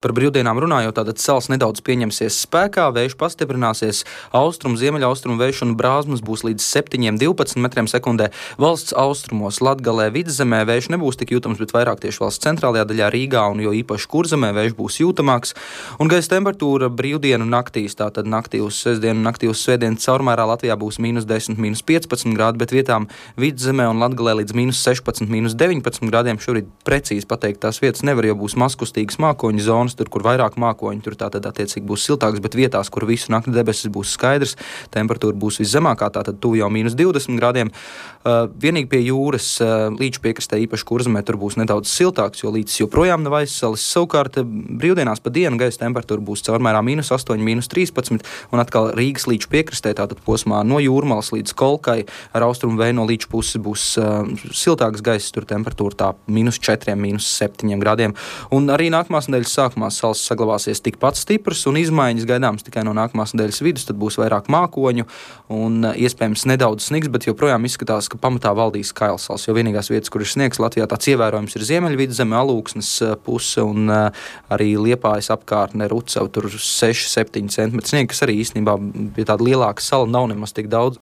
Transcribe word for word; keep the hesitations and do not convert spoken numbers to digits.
Par brīvdienām runājot, tātad sals nedaudz pieņemsies spēkā, vējš pastiprināsies, austrumu, ziemeļaustrumu vējš un brāzmas būs līdz septiņiem divpadsmit metriem sekundē. Valsts austrumos, Latgalē, Vidzemē vējš nebūs tik jūtams, bet vairāk tieši valsts centrālajā daļā Rīgā un jo īpaši Kurzemē vējš būs jūtamāks. Un gaisa temperatūra brīvdienu naktīs, tātad naktī uz sestdienu, naktī uz svētdienu caurmērā Latvijā būs mīnus desmit, mīnus piecpadsmit grādi, bet vietām Vidzemē un Latgalē līdz mīnus sešpadsmit, mīnus deviņpadsmit grādiem. Šobrīd precīzi pateikt tās vietas nevar, jo būs mazkustīgas mākoņu zonas. Tur, kur vairāk mākoņi, tur tātad attiecīgi būs siltāks, bet vietās, kur visu nakti debesis būs skaidrs, temperatūra būs viszemākā, tātad tuvu jau mīnus divdesmit grādiem. Uh, vienīgi pie jūras uh, līča piekrastē, īpaši Kurzemē, tur būs nedaudz siltāks, jo līcis joprojām nav aizsalis. Savukārt brīvdienās pa dienu gaisa temperatūra būs caurmērā mīnus astoņi, mīnus trīspadsmit, un atkal Rīgas līča piekrastē, tātad posmā no Jūrmalas līdz Kolkai ar austrumu vēju no līča puses būs uh, siltāks gaiss, tur temperatūra tā mīnus četriem, mīnus septiņiem grādiem. Un arī nākamās nedēļas sākumā sals saglabāsies tikpat stiprs un izmaiņas gaidāmas tikai no nākamās nedēļas vidus, tad būs vairāk mākoņu un iespējams nedaudz snigs, bet joprojām izskatās, ka pamatā valdīs kailsals, jo vienīgās vietas, kur ir sniegs Latvijā tāds ievērojams ir Ziemeļvidzeme, Alūksnes puse un arī Liepājas apkārtne, Rucava, tur seši septiņi centimetri sniega, kas arī īstenībā pie tāda lielāka sala nav nemaz tik daudz.